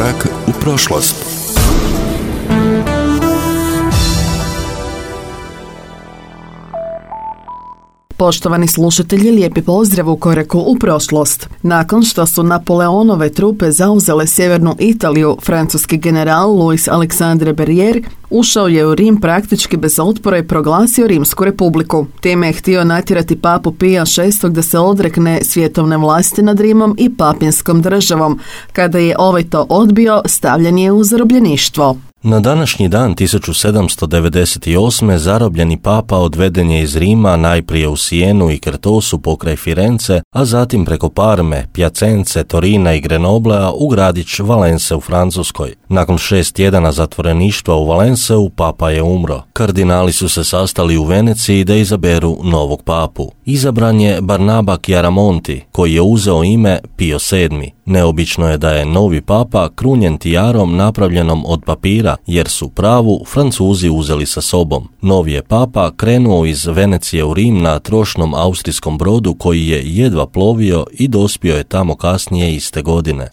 Korak u prošlost. Poštovani slušatelji, lijepi pozdrav u Koraku u prošlost. Nakon što su Napoleonove trupe zauzele sjevernu Italiju, francuski general Louis Alexandre Barrière ušao je u Rim praktički bez otpora i proglasio Rimsku republiku. Time je htio natjerati papu Pija VI da se odrekne svjetovne vlasti nad Rimom i papinskom državom. Kada je ovaj to odbio, stavljen je u zarobljeništvo. Na današnji dan 1798. zarobljeni papa odveden je iz Rima najprije u Sijenu i Krtosu pokraj Firence, a zatim preko Parme, Pjacence, Torina i Grenoblea u gradić Valence u Francuskoj. Nakon 6 tjedana zatvoreništva u Valenceu, papa je umro. Kardinali su se sastali u Veneciji da izaberu novog papu. Izabran je Barnaba Chiaramonti, koji je uzeo ime Pio VII. Neobično je da je novi papa krunjen tijarom napravljenom od papira, jer su pravu Francuzi uzeli sa sobom. Novi je papa krenuo iz Venecije u Rim na trošnom austrijskom brodu koji je jedva plovio i dospio je tamo kasnije iste godine.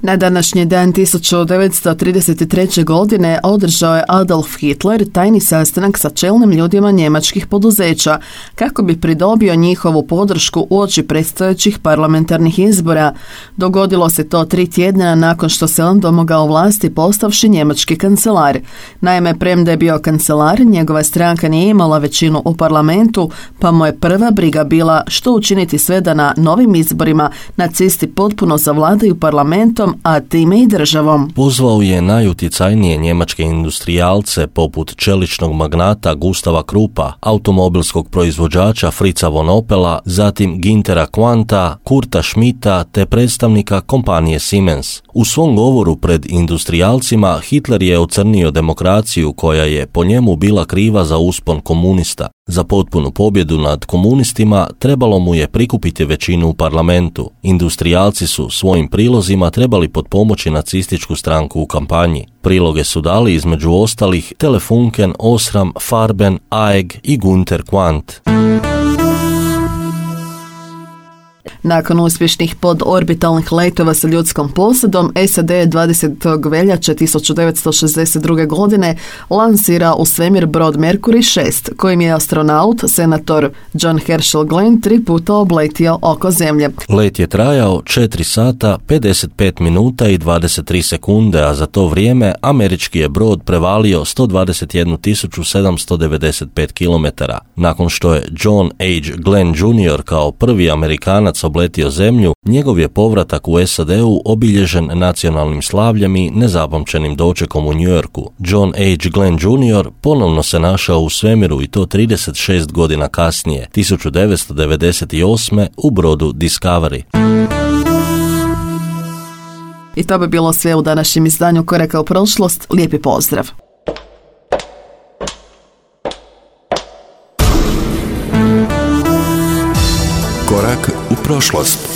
Na današnji dan 1933. godine održao je Adolf Hitler tajni sastanak sa čelnim ljudima njemačkih poduzeća kako bi pridobio njihovu podršku uoči predstojećih parlamentarnih izbora. Dogodilo se to 3 tjedna nakon što se on domogao vlasti postavši njemački kancelar. Naime, premda je bio kancelar, njegova stranka nije imala većinu u parlamentu, pa mu je prva briga bila što učiniti sve da na novim izborima nacisti potpuno zavladaju parlamentom, a time i državom. Pozvao je najutjecajnije njemačke industrijalce poput čeličnog magnata Gustava Kruppa, automobilskog proizvođača Fritza von Opela, zatim Güntera Quanta, Kurta Schmidta te predstavnika kompanije Siemens. U svom govoru pred industrijalcima Hitler je ocrnio demokraciju koja je po njemu bila kriva za uspon komunista. Za potpunu pobjedu nad komunistima trebalo mu je prikupiti većinu u parlamentu. Industrijalci su svojim prilozima trebali potpomoći nacističku stranku u kampanji. Priloge su dali između ostalih Telefunken, Osram, Farben, Aeg i Günther Quandt. Nakon uspješnih podorbitalnih letova sa ljudskom posadom, SAD je 20. veljače 1962. godine lansirao u svemir brod Mercury 6, kojim je astronaut, senator John Herschel Glenn 3 puta obletio oko Zemlje. Let je trajao 4 sata, 55 minuta i 23 sekunde, a za to vrijeme američki je brod prevalio 121.795 km. Nakon što je John H. Glenn Jr. kao prvi Amerikanac obletio Zemlju, njegov je povratak u SAD-u obilježen nacionalnim slavljem i nezapamćenim dočekom u New Yorku. John H. Glenn Jr. ponovno se našao u svemiru i to 36 godina kasnije, 1998. u brodu Discovery. I to bi bilo sve u današnjem izdanju Koraka u prošlost. Lijepi pozdrav! Korak u prošlost.